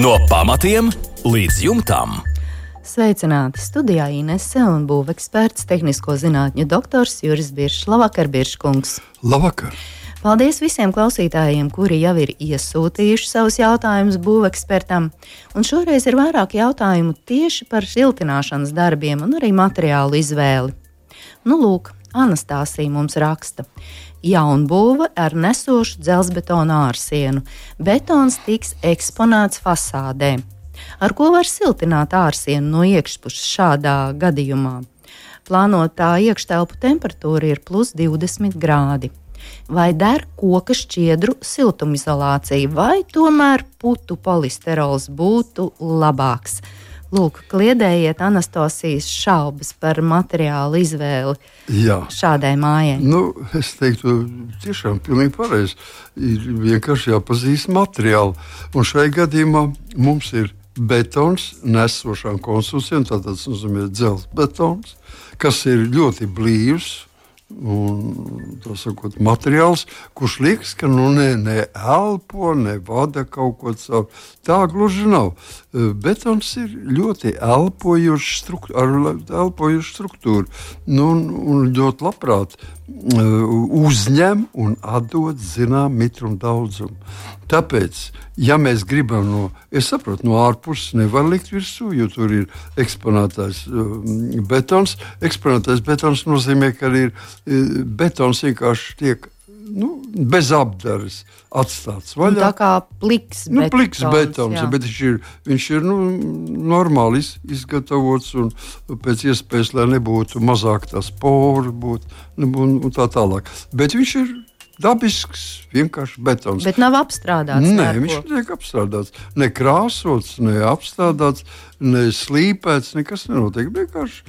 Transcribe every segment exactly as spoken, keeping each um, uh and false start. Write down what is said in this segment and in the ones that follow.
No pamatiem līdz jumtam. Sveicināti studijā Inese un būveksperts, tehnisko zinātņu doktors Juris Biršs. Labvakar, Birškungs! Labvakar! Paldies visiem klausītājiem, kuri jau ir iesūtījuši savus jautājumus būvekspertam. Un šoreiz ir vairāk jautājumu tieši par siltināšanas darbiem un arī materiālu izvēli. Nu, lūk, Anastāsija mums raksta. Jaunbūve ar nesošu dzelzbetona ārsienu. Betons tiks eksponēts fasādē. Ar ko var siltināt ārsienu no iekšpuses šādā gadījumā? Plānotā iekštelpu temperatūra ir plus divdesmit grādi. Vai der koka šķiedru siltumizolācija, vai tomēr putu polisterols būtu labāks? Lūk, kliedējiet Anastasijas šaubas par materiālu izvēli Jā. šādai mājai. Nu, es teiktu, tiešām pilnīgi pareizi. Ir vienkārši jāpazīst materiālu. Un šai gadījumā mums ir betons nesošām konstrukcijām, tātad tas nozīmē dzelzbetons, kas ir ļoti blīvs. Un, tā sakot, materiāls, kurš liekas, ka nu ne, ne elpo, ne vada kaut ko caur. Tā gluži nav. Betons ir ļoti elpojošs struktūra, ar elpojošu struktūru. Nu, un, un ļoti labprāt uzņem un atdod zinām mitrumu daudzumu. Tāpēc, ja mēs gribam no, es saprotu, no ārpuses nevar likt virsū, jo tur ir eksponētais uh, betons. Eksponētais betons nozīmē, ka ir uh, betons vienkārši tiek nu, bez apdares atstāts vaļā. Un tā kā pliks betons. Nu, pliks betons, jā. Bet viņš ir, viņš ir nu, normāli iz, izgatavots un pēc iespējas, lai nebūtu mazāk tās pori būt, un, un tā tālāk. Bet viņš ir dabisks, vienkārši betons. Bet nav apstrādāts. Nē, viņš netiek apstrādāts. Ne krāsots, ne apstrādāts, ne slīpēts, nekas nenotiek. Vienkārši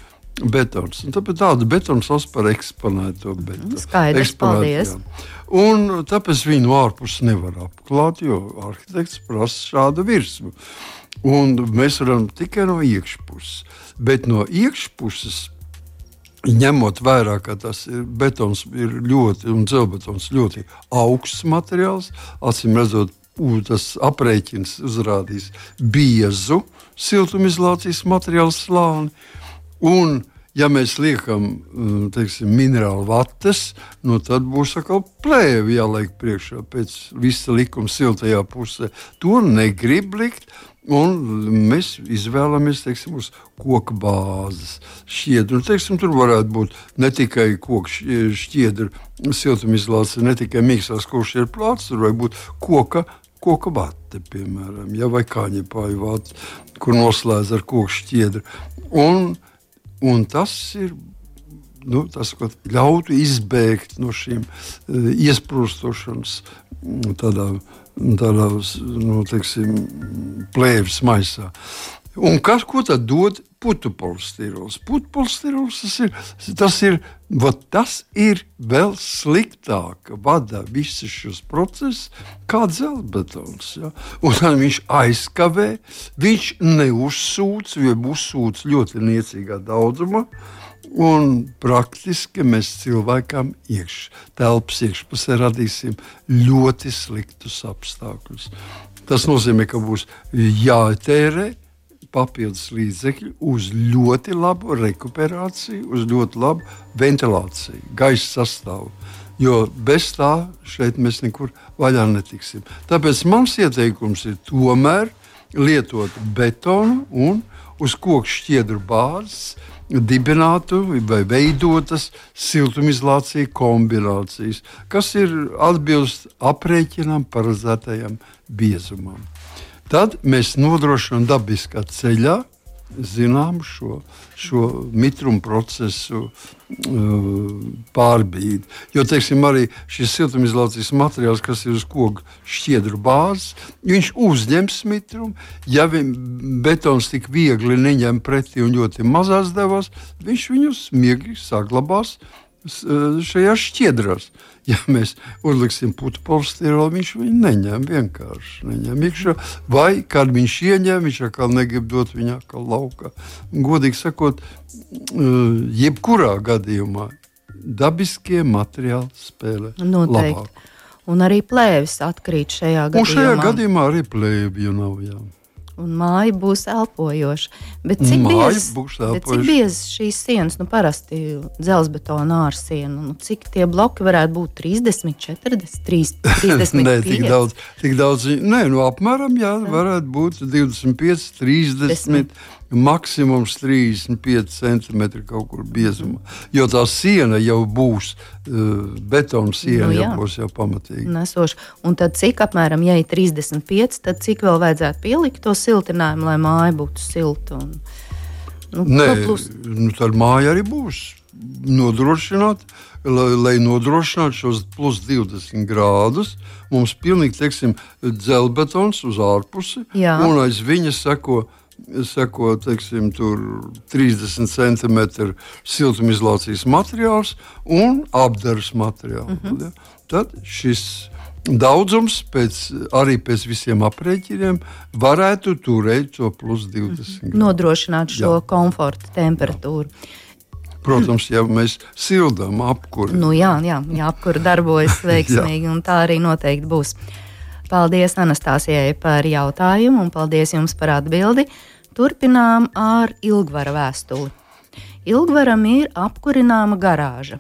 betons. Un tāpēc tādu betonu sauc par eksponēto betonu. Skaidrs, paldies. Un tāpēc viņu no ārpuses nevar apklāt, jo arhitekts prasa šādu virsmu. Un mēs varam tikai no iekšpuses. Bet no iekšpuses, ņemot vērā, ka tas ir betons ir ļoti, un dzelzbetons ļoti augsts materiāls, acīm redzot, tas aprēķins uzrādīs biezu siltumizolācijas materiālu slāni. Un, ja mēs liekam, teiksim, minerālu vates, nu tad būs atkal plēvi jāliek priekšā pēc visa likuma siltajā pusē. To negrib likt. Un mēs izvēlamies, teiksim, uz koka bāzes šķiedru. Un, teiksim, tur varētu būt ne tikai koka šķiedra siltumizolācija, ne tikai mīkstās koka šķiedra plāts, tur var būt koka, koka vate, piemēram, ja, vai kāņepāju vate, kur noslēdz ar koka šķiedru. Un, un tas ir, nu, tas, ko ļautu izbēgt no šīm uh, iesprūstošanas tādā tādā, nu, teiksim, plēvis maisā. Un kas, ko tad dod putu polistirols? Putu polistirols tas ir, tas ir, vat, tas ir vēl sliktāk vada visus šos procesus kā dzelzbetons. Ja? Un tad viņš aizkavē, viņš neuzsūc, jo uzsūc ļoti niecīgā daudzumā. Un praktiski mēs cilvēkam iekš, telpas iekšpusē radīsim ļoti sliktus apstākļus. Tas nozīmē, ka būs jātērē papildus līdzekļi uz ļoti labu rekuperāciju, uz ļoti labu ventilāciju, gaisa sastāvu. Jo bez tā šeit mēs nekur vaļā netiksim. Tāpēc mans ieteikums ir tomēr lietot betonu un uz koka šķiedru bāzes dibinātu vai veidotas siltumizolācija kombinācijas, kas ir atbilst aprēķinām paredzētajam biezumam. Tad mēs nodrošinām dabiskā ceļā zinām šo, šo mitrumu procesu uh, pārbīdi. Jo, teiksim, arī šis siltumizolācijas materiāls, kas ir uz koka šķiedru bāzes, viņš uzņems mitrumu. Ja betons tik viegli neņem pretī un ļoti mazās devās, viņš viņus miegi saglabās šajās šķiedrās. Ja mēs uzliksim putu polistirolu, viņš viņu neņem, vienkārši neņem iekšā. Vai, kad viņš ieņem, viņš atkal negrib dot viņu atkal laukā. Godīgi sakot, jebkurā gadījumā dabiskie materiāli spēlē Noteikti. Labāk. Un arī plēvis atkrīt šajā gadījumā. Un šajā gadījumā arī plēvju nav, jā. Un māja būs elpojoša. Bet cik biezas šīs sienas, nu parasti dzelzbetona ārsiena, nu cik tie bloki varētu būt? trīsdesmit, četrdesmit, trīsdesmit Nē, tik daudz, tik daudz, nē, nu apmēram, jā, varētu būt divdesmit pieci, trīsdesmit, maksimums trīsdesmit pieci centimetri kaut kur biezumā. Jo tā siena jau būs, uh, betona siena nu, jau būs jau pamatīgi. Nesoši. Un tad cik apmēram, ja ir trīsdesmit pieci, tad cik vēl vajadzētu pielikt to siltinājumu, lai māja būtu silta? Un, nu, Nē, nu, tad māja arī būs nodrošināt, lai, lai nodrošinātu šos plus divdesmit grādus. Mums pilnīgi, teiksim, dzelbetons uz ārpusi, Jā. un aiz viņa seko seko, teiksim, tur trīsdesmit centimetru siltumizolācijas materiāls un apdares materiāls. Mm-hmm. Ja? Tad šis daudzums pēc, arī pēc visiem aprēķiniem varētu turēt to plus divdesmit grādu. Nodrošināt šo jā. komforta temperatūru. Protams, ja mēs sildām apkuri. Nu jā, jā, jā apkuri darbojas veiksmīgi un tā arī noteikti būs. Paldies Anastāsijai par jautājumu un paldies jums par atbildi. Turpinām ar Ilgvara vēstuli. Ilgvaram ir apkurināma garāža.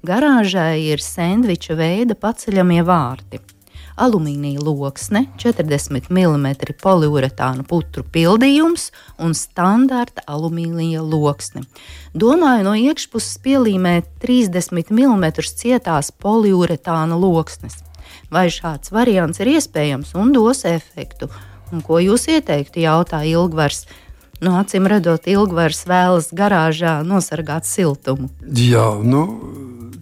Garāžai ir sendviča veida paceļamie vārti. Alumīnija loksne, četrdesmit milimetri poliuretāna putru pildījums un standarta alumīnija loksne. Domāju no iekšpuses pielīmēt trīsdesmit milimetru cietās poliuretāna loksnes. Vai šāds variants ir iespējams un dos efektu? Un ko jūs ieteiktu, jautā Ilgvars? Nu, acīm redzot, Ilgvars vēlas garāžā nosargāt siltumu. Jā, nu,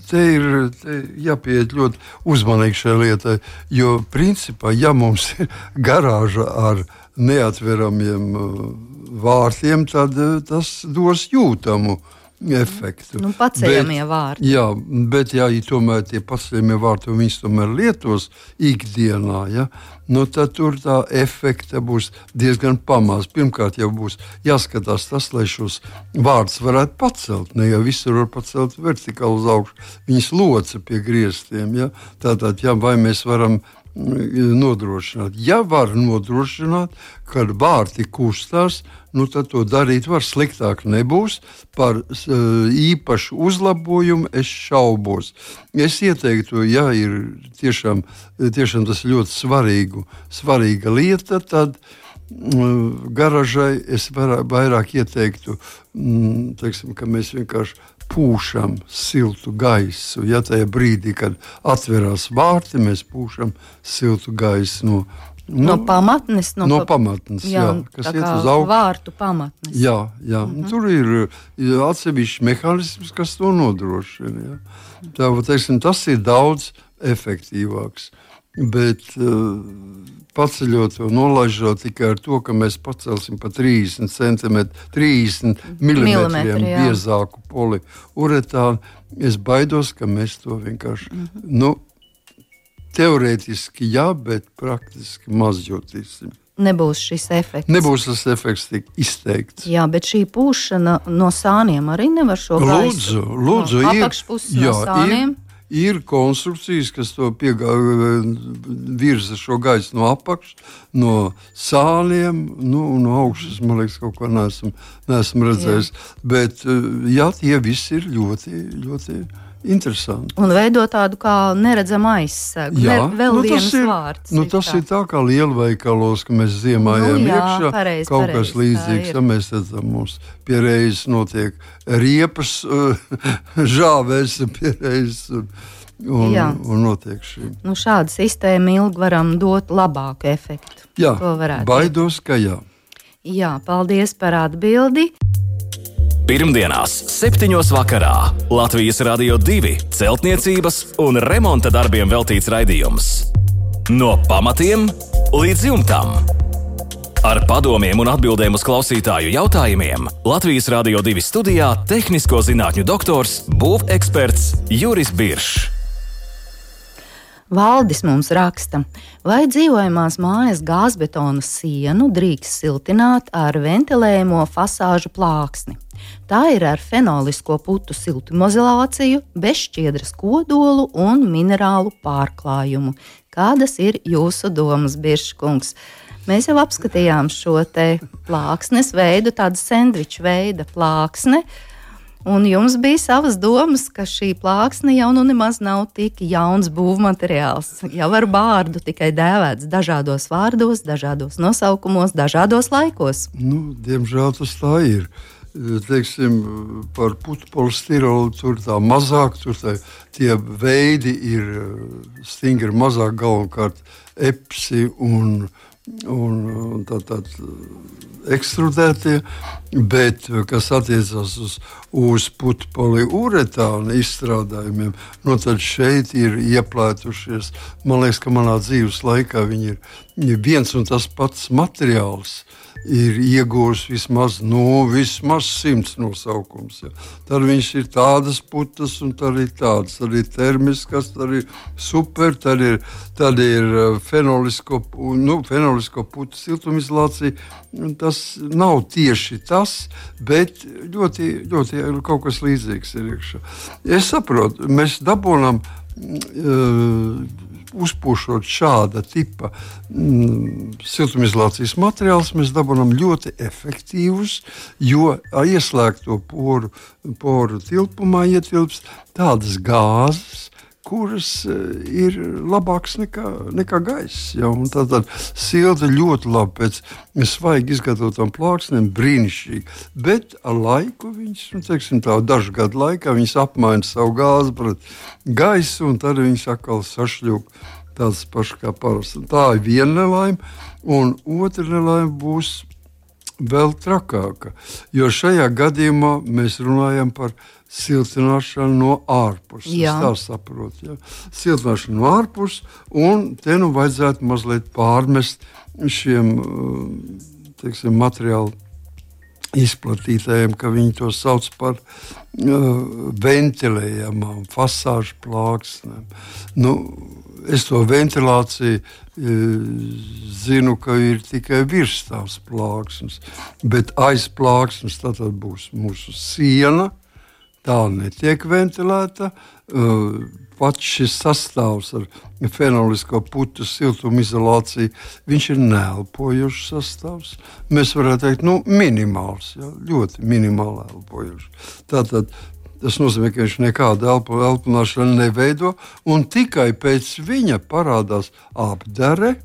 te ir te jāpieiet ļoti uzmanīgi šai lietai, jo principā, ja mums ir garāža ar neatveramiem vārtiem, tad tas dos jūtamu efektu. Nu, paceļamie vārti. Jā, bet ja tomēr tie paceļamie vārti, un viņas tomēr lietos ikdienā, ja, nu, tad tur tā efekta būs diezgan pamaz. Pirmkārt jau būs jāskatās tas, lai šos vārdus varētu pacelt. Ne jau visur var pacelt vertikāli uz augšu. Viņas loca pie griestiem. Ja. Tātad, ja, vai mēs varam nodrošināt. Ja var nodrošināt, kad vārti kustās, nu tad to darīt var. Sliktāk nebūs. Par īpašu uzlabojumu es šaubos. Es ieteiktu, ja ir tiešām, tiešām tas ļoti svarīgu, svarīga lieta, tad garažai es vairāk ieteiktu, teiksim, ka mēs vienkārši pūšam siltu gaisu. Ja tajā brīdī, kad atverās vārti, mēs pūšam siltu gaisu no, no, no pamatnes. No, no pamatnes, jā, jā, kas iet uz augšu. Vārtu pamatnes. Jā, jā. Mm-hmm. Tur ir atsevišķi mehānisms, kas to nodrošina. Ja. Tā, teiksim, tas ir daudz efektīvāks. Bet uh, paceļot un nolaižot tikai ar to, ka mēs pacelsim pa trīsdesmit centimetru, trīsdesmit milimetriem biezāku poliuretānu, es baidos, ka mēs to vienkārši, mm-hmm. nu, teorētiski jā, bet praktiski maz jūtīsim. Nebūs šis efekts. Nebūs tas efekts tik izteikts. Jā, bet šī pūšana no sāniem arī nevar šo gaisu. Lūdzu, lūdzu, no ir. Apakšpuses no sāniem. Ir. Ir konstrukcijas, kas to piegā, virza šo gaisu no apakšas, no sāniem, nu, no augšas, man liekas, kaut ko neesmu, neesmu redzējis. Jā. Bet, jā, tie visi ir ļoti, ļoti interesanti. Un veido tādu kā neredzamu aizsegu. Jā, ne, vēl nu, viens ir, vārds. Nu, tas ir tā kā lielveikalos, ka mēs ziemājam nu, jā, iekšā. Pareiz, kaut pareiz, kas līdzīgs, ja mēs redzam, mums pie reizes notiek riepas, žāvēs pie reizes un, un, un notiek šī. Nu, šāda sistēma ilgi varam dot labāku efektu. Jā, baidos, ka jā. Jā, paldies par atbildi. Pirmdienās, septiņos vakarā Latvijas Radio divi celtniecības un remonta darbiem veltīts raidījums. No pamatiem līdz jumtam. Ar padomiem un atbildēm uz klausītāju jautājumiem Latvijas Radio divi studijā tehnisko zinātņu doktors, būveksperts Juris Biršs. Valdis mums raksta, vai dzīvojamās mājas gāzbetona sienu drīkst siltināt ar ventilējumo fasāžu plāksni. Tā ir ar fenolisko putu siltumizolāciju, bezšķiedras kodolu un minerālu pārklājumu. Kādas ir jūsu domas, Birškungs? Mēs jau apskatījām šo te plāksnes veidu, tādu sendviču veida plāksne. Un jums bija savas domas, ka šī plāksne jau nu nemaz nav tik jauns būvmateriāls. Jau ar vārdu tikai dēvēts dažādos vārdos, dažādos nosaukumos, dažādos laikos. Nu, diemžēl tas tā ir. Teiksim, par putekļu tur tā mazāk, tur tā, tie veidi ir stingri mazāk, galvenokārt epsi un, un, un tā, tā, ekstrudētie, bet kas attiecas uz, uz putekļu izstrādājumiem, no tad šeit ir ieplētušies. Man liekas, ka manā dzīves laikā viņi ir viens un tas pats materiāls. Ir iegūst vismaz, nu, vismaz simts nosaukums. Ja. Tad viņš ir tādas putas, un tad ir tādas. Tad ir termiskas, tad ir super, tad ir, tad ir fenolisko, nu, fenolisko putu siltumizolācija. Tas nav tieši tas, bet ļoti, ļoti kaut kas līdzīgs ir iekšā. Es saprotu, mēs dabūnam uh, uzpūšot šāda tipa mm, siltumizolācijas materiālus, mēs dabūjam ļoti efektīvus, jo ieslēgto poru, poru tilpumā ietilpst tādas gāzes, kuras ir labākas nekā, nekā gaiss. Ja? Tātad silta ļoti labi pēc svaigi izgatavotām plāksnēm, brīnišķīgi. Bet ar laiku viņš, nu, teiksim, tā, dažu gadu laikā viņas apmaina savu gāzi pret gaisu, un tad viņas atkal sašļūp tādas pašas kā parasti. Tā ir viena nelaime, un otra nelaime būs vēl trakāka, jo šajā gadījumā mēs runājam par siltināšanu no ārpuses. Es tā saprotu. Ja? Siltināšanu no ārpuses, un te nu vajadzētu mazliet pārmest šiem, teiksim, materiālu izplatītājiem, ka viņi to sauc par uh, ventilējamām fasāžu plāksnēm. Nu, es to ventilāciju uh, zinu, ka ir tikai virs tās plāksnes, bet aiz plāksnes tad būs mūsu siena. Tā netiek ventilēta. Pats šis sastāvs ar fenolisko putu siltumizolāciju, viņš ir neelpojošs sastāvs. Mēs varētu teikt, nu, minimāls, ja, ļoti minimāli elpojošs. Tātad tas nozīmē, ka viņš nekādu elpo, elpošanu neveido, un tikai pēc viņa parādās apdare,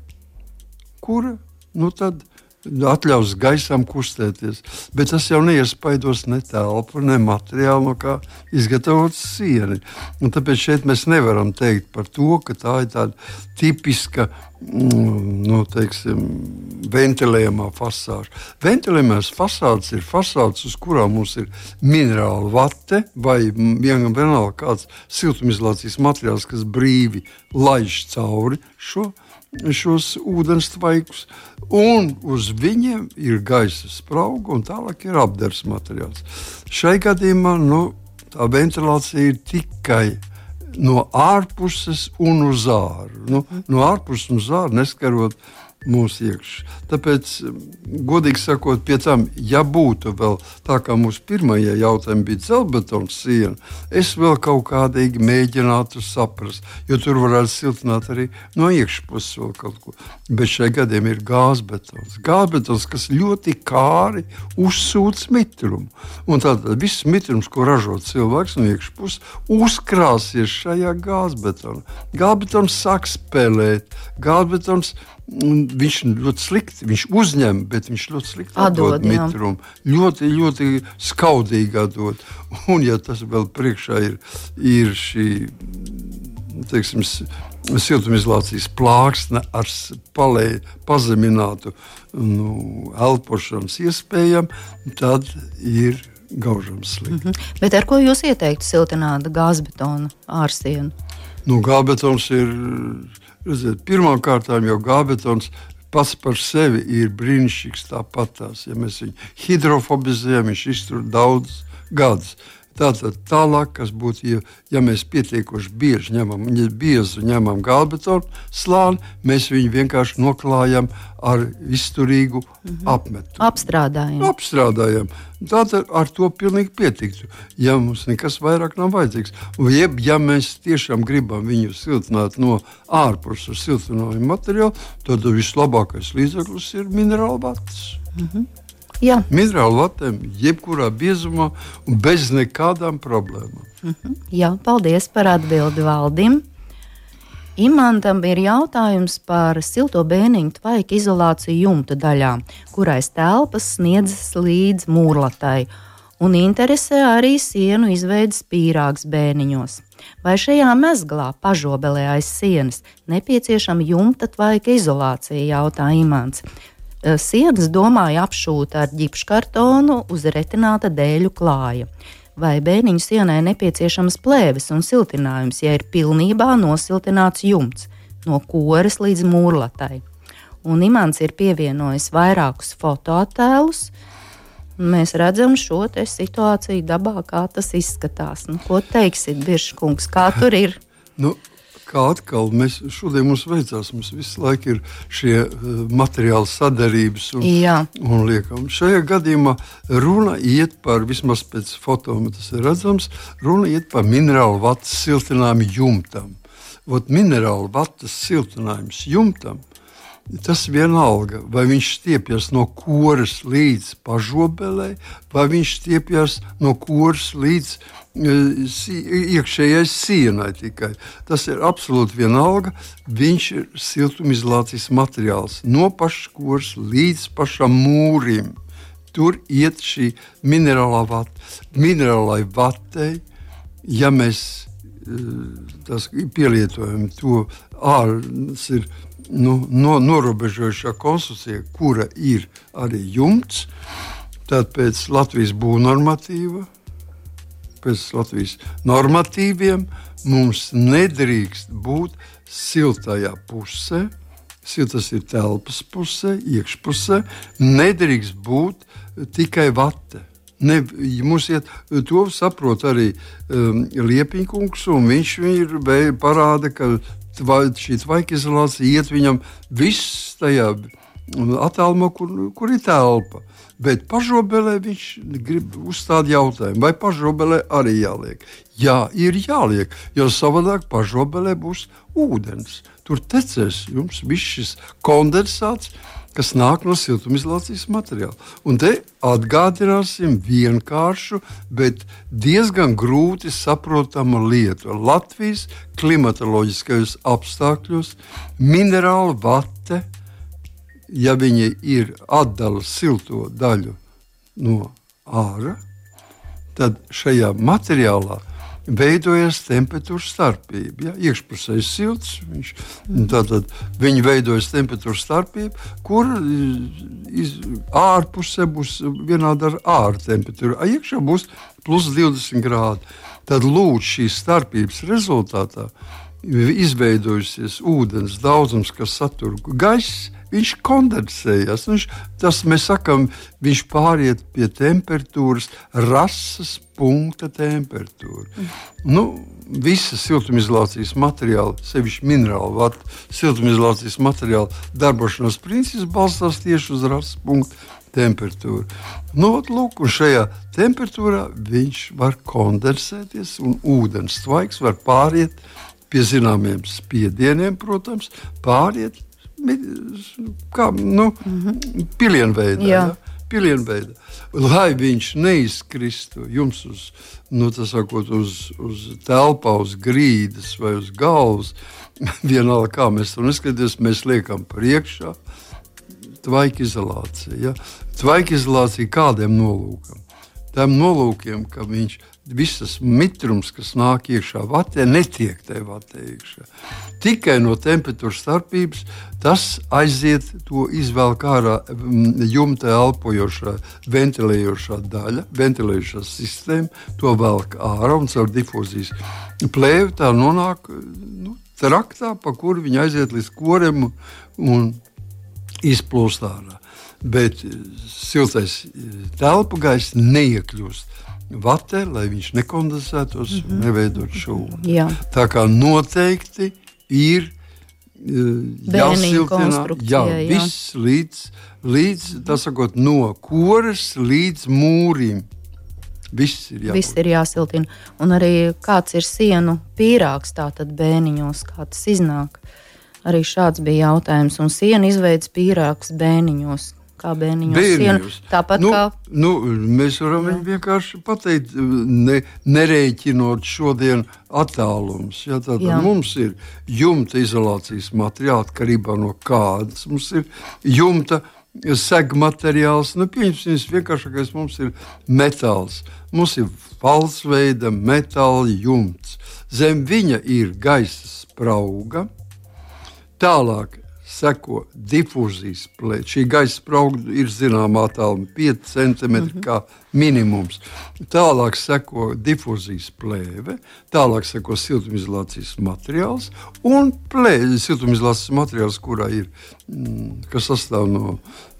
kura, nu tad atļaus gaisam kustēties, bet tas jau neiespaidos ne telpu, ne materiālu, no kā izgatavots sieni. Un tāpēc šeit mēs nevaram teikt par to, ka tā ir tāda tipiska, nu, teiksim, ventilējamā fasāža. Ventilējamās fasādes ir fasādes, uz kurām mums ir minerāla vate vai vienalga kāds siltumizolācijas materiāls, kas brīvi laiž cauri šo šos ūdens tvaikus, un uz viņiem ir gaisa sprauga, un tālāk ir apdars materiāls. Šai gadījumā nu, tā ventilācija ir tikai no ārpuses un uz āru. Nu, no ārpuses un uz āru neskarot mūsu iekšā. Tāpēc, godīgi sakot, pie tam, ja būtu vēl tā, kā mūsu pirmajā jautājumā bija dzeltbetona siena, es vēl kaut kādīgi mēģinātu saprast, jo tur varētu siltināt arī no iekšpuses vēl kaut ko. Bet šajā gadījumā ir gāzbetons. Gāzbetons, kas ļoti kāri uzsūc mitrumu. Un tātad viss mitrums, ko ražo cilvēks no iekšpuses, uzkrāsies šajā gāzbetonā. Gāzbetons sāk spēlēt. Gāzbetons viņš ļoti slikti, viņš uzņem, bet viņš ļoti slikti atdod, atdod mitrumu. Ļoti, ļoti skaudīgi atdod. Un ja tas vēl priekšā ir, ir šī, teiksim, siltumizolācijas plāksne ar palē, pazeminātu nu, elpošanas iespējām, tad ir gaužams slikti. Mm-hmm. Bet ar ko jūs ieteiktu siltināt gāzbetona ārsienu? Nu, gāzbetons ir... Redziet, pirmām kārtām jau gāzbetons pats par sevi ir brīnišķīgs tāpatās. Ja mēs viņu hidrofobizējam, viņš iztur daudz gadus. Tātad tālāk, kas būtu, ja, ja mēs pietiekoši bieži ņemam, ja biezu ņemam galbetonu slāni, mēs viņu vienkārši noklājam ar izturīgu mm-hmm. apmetu. Apstrādājam. Apstrādājam. Tātad ar to pilnīgi pietiktu, ja mums nekas vairāk nav vajadzīgs. Un jeb, ja mēs tiešām gribam viņu siltināt no ārpus ar siltinājumu materiālu, tad vislabākais līdzeklis ir minerāla vatas. Mm-hmm. Jā. Minerālu vatēm, jebkurā biezumā un bez nekādām problēmām. Mm-hmm. Jā, paldies par atbildi Valdim. Imantam ir jautājums par silto bēniņu tvaika izolāciju jumta daļā, kurais telpas sniedzas līdz mūrlatai, un interesē arī sienu izveidas pīrāgs bēniņos. Vai šajā mezglā pažobelē aiz sienas nepieciešama jumta tvaika izolācija, jautā Imants. Sienas domāja apšūt ar ģipškartonu uz retināta dēļu klāja. Vai bēniņu sienai nepieciešams plēves un siltinājums, ja ir pilnībā nosiltināts jumts no koras līdz mūrlatai? Un Imants ir pievienojis vairākus fotoattēlus. Mēs redzam šo te situāciju dabā, kā tas izskatās. Nu, ko teiksit, Birškungs, kā tur ir? Nu. Kā atkal mēs šodien mums veicās, mums visu laiku ir šie uh, materiāli sadarības un, un liekam. Šajā gadījumā runa iet par, vismaz pēc fotoma tas ir redzams, runa iet par minerālu vatas siltinājumu jumtam. Vot minerālu vatas siltinājums jumtam, tas vienalga, vai viņš stiepjas no koras līdz pažobelē, vai viņš stiepjas no koras līdz iekšējai sienai tikai. Tas ir absolūti vienalga. Viņš ir siltumizolācijas materiāls no pašas koras līdz pašam mūrim. Tur iet šī minerālā vata. Minerālai vatei, ja mēs tas pielietojam to ārns ir nu, no, norobežojušā konstrukcija, kura ir arī jumts, tad pēc Latvijas būvnormatīva pēc Latvijas normatīviem mums nedrīkst būt siltajā pusē, siltas ir telpas pusē, iekšpusē, nedrīkst būt tikai vate. Ne, mums iet, to saprot arī um, Liepiņkungs, un viņš ir parāda, ka tva, šī tvaika izolācija iet viņam viss tajā attālumā, kur, kur ir telpa. Bet pažobelē viņš grib uzstāt jautājumu, vai pažobelē arī jāliek. Jā, ir jāliek, jo savādāk pažobelē būs ūdens. Tur tecēs jums viss šis kondensāts, kas nāk no siltumizolācijas materiāla. Un te atgādināsim vienkāršu, bet diezgan grūti saprotamu lietu. Latvijas klimatoloģiskajos apstākļos minerāla vate, ja viņi ir atdala silto daļu no ārā, tad šajā materiālā veidojas temperatūras starpība. Ja? Iekšpusē ir silts, viņš, tātad viņi veidojas temperatūras starpība, kur iz, ārpusē būs vienāda ar āra temperatūru, a iekšā būs plus divdesmit grādi. Tad lūdzu šīs starpības rezultātā izveidojusies ūdens daudzums, kas satur gaiss, viņš kondensējas. Viņš, tas mēs sakām, viņš pāriet pie temperatūras, rases punkta temperatūra. Mm. Nu, visa siltumizolācijas materiāla, sevišķi minerāla vata, siltumizolācijas materiāla darbošanās princips balstās tieši uz rases punkta temperatūru. Nu, lūk, un šajā temperatūrā viņš var kondensēties, un ūdens tvaiks var pāriet pie zināmiem spiedieniem, protams, pāriet kā, nu, mm-hmm. pilienveidā. Ja? Pilienveidā. Lai viņš neizkristu jums uz, nu, tas sakot, uz, uz telpā, uz grīdas vai uz galvas, vienalga kā mēs to neskaties, mēs liekam priekšā tvaika izolācija. Ja? Tvaika izolācija kādiem nolūkam? Tām nolūkiem, ka viņš visas mitrums, kas nāk iekšā vatē, netiek tajā vatē iekšā. Tikai no temperatūras starpības tas aiziet, to izvelk ārā jumta elpojošā, ventilējošā daļa, ventilējošā sistēma, to velk ārā un caur difūzijas plēvi tā nonāk nu, traktā, pa kuru viņi aiziet līdz korem un izplūst ārā. Bet siltais telpu gaiss neiekļūst vatē, lai viņš nekondensētos un mm-hmm. neveidot šo ūdeni. Jā. Tā kā noteikti ir jāsiltina, jā, jā. Viss līdz, līdz tā sakot, no koras līdz mūrim. Viss ir jābūt. Viss ir jāsiltina. Un arī kāds ir sienu pīrāgs tātad bēniņos, kā tas iznāk. Arī šāds bija jautājums. Un sienu izveids pīrāgs bēniņos. Kā bēniņos sienu. Tāpat nu, kā... Nu, mēs varam jā. vienkārši pateikt, ne, nerēķinot šodien attālums. Ja, tātad jā. Mums ir jumta izolācijas materiāli, atkarībā no kādas. Mums ir jumta segmateriāls. Nu, pieņemsim, vienkāršākais mums ir metāls. Mums ir falsveida metāla jumts. Zem viņa ir gaisa sprauga. Tālāk seko difūzijas plēve. Šī gaisa sprauga ir zināmā attāluma pieci centimetri mm-hmm. kā minimums. Tālāk seko difūzijas plēve, tālāk seko siltumizolācijas materiāls un plēve, siltumizolācijas materiāls, kurā ir, kas sastāv no,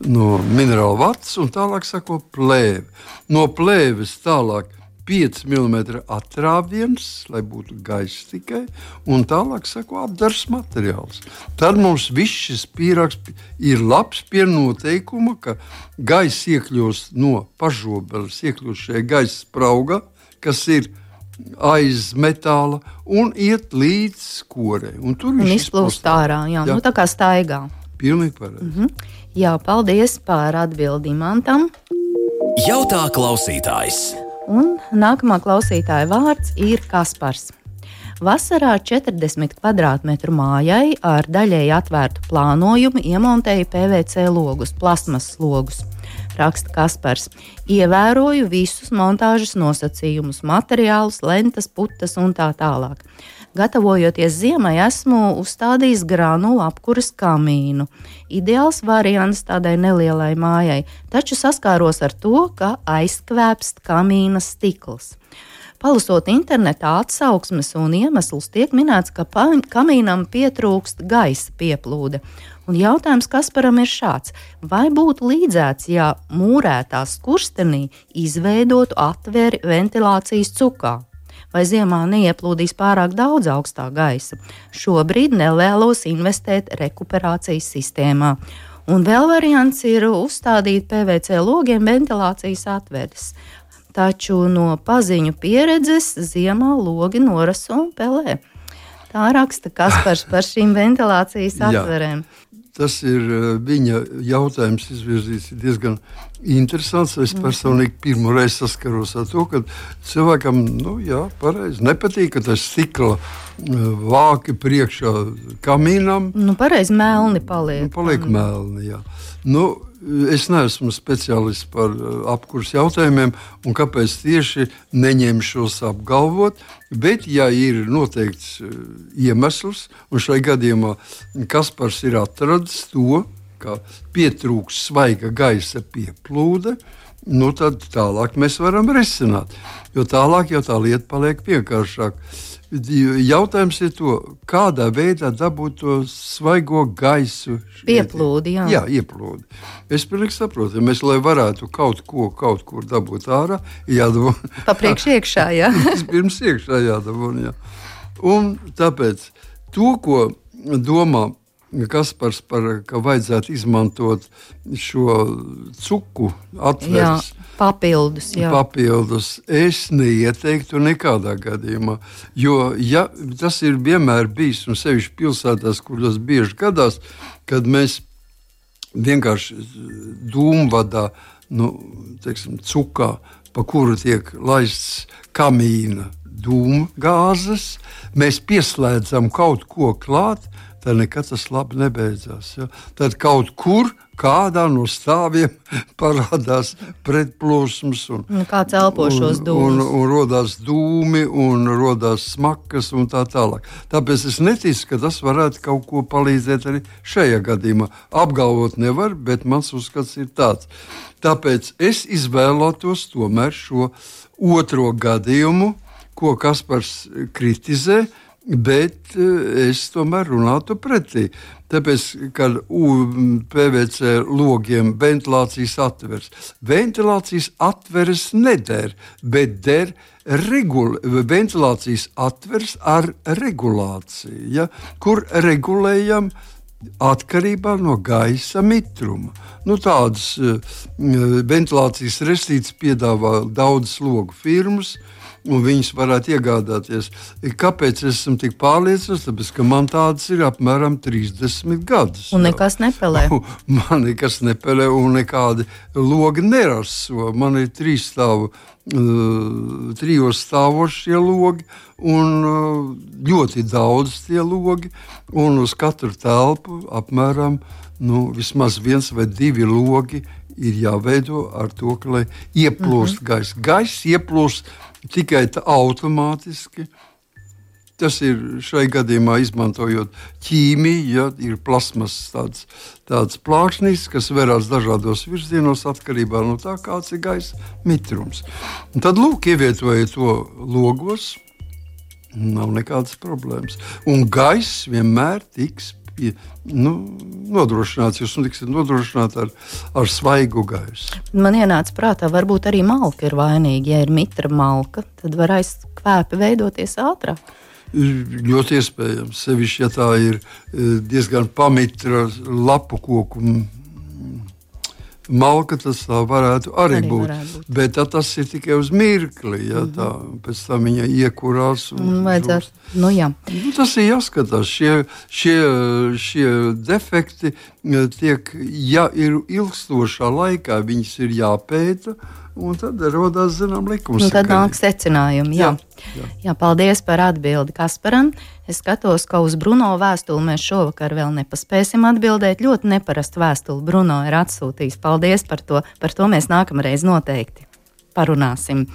no minerāla vatas, un tālāk seko plēve. No plēves tālāk pieci milimetri atrāviens, lai būtu gaisa tikai, un tālāk sako apdars materiāls. Tad mums viss šis pīrāgs ir labs pie noteikuma, ka gaisa iekļūs no pažobeles, iekļūs šajā gaisa sprauga, kas ir aiz metāla, un iet līdz korei. Un tur un izplūst ārā, jā, jā. Nu tā kā staigā. Pilnīgi pareizi. Mhm. Jā, paldies par atbildi Mantam. Jautā klausītājs. Un nākamā klausītāja vārds ir Kaspars. Vasarā četrdesmit kvadrātmetru mājai ar daļēji atvērtu plānojumu iemontēja P V C logus, plasmasas logus. Raksta Kaspars. Ievēroju visus montāžas nosacījumus, materiālus, lentas, putas un tā tālāk. Gatavojoties ziemai, esmu uzstādījis granulu apkuras kamīnu. Ideāls variants tādai nelielai mājai, taču saskāros ar to, ka aizkvēpst kamīna stikls. Palasot internetā atsauksmes un iemeslus, tiek minēts, ka kamīnam pietrūkst gaisa pieplūde. Un jautājums Kasparam ir šāds: vai būtu līdzēts, ja mūrētā skurstenī izveidotu atveri ventilācijas cukā? Vai ziemā neieplūdīs pārāk daudz augstā gaisa? Šobrīd nevēlos investēt rekuperācijas sistēmā. Un vēl variants ir uzstādīt P V C logiem ventilācijas atveres. Taču no paziņu pieredzes ziemā logi noraso un pelē. Tā raksta Kaspars par šīm ventilācijas atverēm. Tas ir viņa jautājums izvirzīts diezgan interesants. Es personīgi pirmo reizi saskaros ar to, ka cilvēkam, nu jā, pareizi, nepatīk, ka tas stikla vāki priekšā kamīnam. Nu, pareizi, melni paliek. Nu, paliek melni, jā. Nu, es neesmu speciālists par apkurs jautājumiem, un kāpēc tieši neņemšos apgalvot, bet, ja ir noteikts iemesls, un šai gadījumā Kaspars ir atradis to, ka pietrūks svaiga gaisa pieplūde, nu tad tālāk mēs varam risināt, jo tālāk jau tā lieta paliek vienkāršāk. Jautājums ir to, kādā veidā dabūt to svaigo gaisu. Pieplūdi, jā. Jā, ieplūdi. Es pilnīgi saprotu, ja mēs, lai varētu kaut ko kaut kur dabūt ārā, jādabū. Pa priekš iekšā, jā. Pirms iekšā jādabū, jā. Un tāpēc to, ko domā Kaspars par, ka vajadzētu izmantot šo cuku atveres. Jā, papildus, jā. Papildus es neieteiktu nekādā gadījumā, jo ja, tas ir vienmēr bijis, un sevišķi pilsētās, kur tas bieži gadās, kad mēs vienkārši dūmvadā, nu, teiksim, cukā, pa kuru tiek laists kamīna dūmgāzes, mēs pieslēdzam kaut ko klāt, tad nekad tas labi nebeidzās. Ja? Tad kaut kur kādā no stāviem parādās pretplūsmas. Un, un kāds elpo šos dūmus. Un, un, un rodās dūmi, un rodās smakas un tā tālāk. Tāpēc es neticu, ka tas varētu kaut ko palīdzēt arī šajā gadījumā. Apgalvot nevar, bet mans uzskats ir tāds. Tāpēc es izvēlētos tomēr šo otro gadījumu, ko Kaspars kritizē, bet es tomēr runātu pretī. Tāpēc, kad P V C logiem ventilācijas atveres, ventilācijas atveres neder, bet der regul, ventilācijas atveres ar regulāciju, ja, kur regulējam atkarībā no gaisa mitruma. Nu, tādas uh, ventilācijas restītes piedāvā daudzas logu firmas, un viņas varētu iegādāties. Kāpēc es esmu tik pārliecināts? Tāpēc, ka man tādas ir apmēram trīsdesmit gadus. Un nekas nepelē. Man nekas nepelē un nekādi logi neraso. Man ir trīs stāvu, uh, trijos stāvošie logi un uh, ļoti daudz tie logi. Un uz katru telpu apmēram nu, vismaz viens vai divi logi ir jāveido ar to, ka lai ieplūst mm-hmm. gaisa. Gaisa ieplūst tikai tā automātiski. Tas ir šai gadījumā izmantojot ķīmiju, ja, ir plasmas tāds, tāds plāksnis, kas verās dažādos virzienos atkarībā no tā, kāds ir gaisa mitrums. Un tad lūk, ievietojiet to logos, nav nekādas problēmas. Un gaiss vienmēr tiks pie, nu, nodrošināts, jūs tiksiet nodrošināti ar, ar svaigu gaisu. Man ienāca prātā, varbūt arī malka ir vainīga. Ja ir mitra malka, tad var aizkvēpi veidoties ātrāk. Ļoti iespējams, sevišķi, ja tā ir diezgan pamitra lapu koku malka, tas tā varētu arī, arī būt. Varētu būt. Bet tas ir tikai uz mirkli, ja mm-hmm. tā, pēc tam viņa iekurās. Un, Vajadzētu, nu jā. Nu, tas ir jāskatās, šie, šie, šie defekti tiek, ja ir ilgstošā laikā, viņas ir jāpēta, un tad rodās, zinām, likums. Un tad nāk secinājumi, jā. Jā, jā. jā, paldies par atbildi Kasparam. Es skatos, ka uz Bruno vēstuli mēs šovakar vēl nepaspēsim atbildēt. Ļoti neparastu vēstuli Bruno ir atsūtījis. Paldies par to. Par to mēs nākamreiz noteikti parunāsim.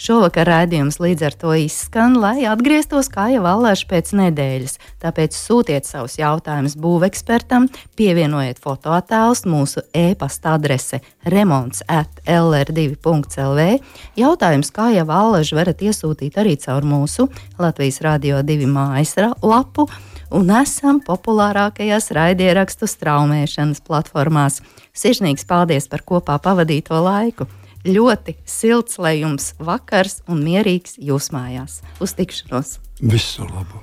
Šovakar raidījums līdz ar to izskan, lai atgrieztos kā jau allaž pēc nedēļas. Tāpēc sūtiet savus jautājumus būvekspertam, pievienojiet fotoattēlus, mūsu e-pasta adrese remonts at l r divi punkts l v. Jautājums kā jau allaž varat iesūtīt arī caur mūsu Latvijas Radio divi mājas lapu un esam populārākajās raidierakstu straumēšanas platformās. Sirsnīgs paldies par kopā pavadīto laiku! Ļoti silts, lai jums vakars un mierīgs jūs mājās. Uz tikšanos! Visu labu!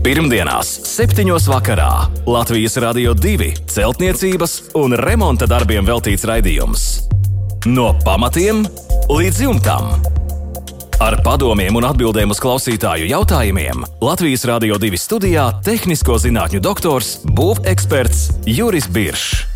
Pirmdienās, septiņos vakarā Latvijas Radio divi celtniecības un remonta darbiem veltīts raidījums. No pamatiem līdz jumtam. Ar padomiem un atbildēm uz klausītāju jautājumiem Latvijas Radio divi studijā tehnisko zinātņu doktors, būveksperts Juris Biršs.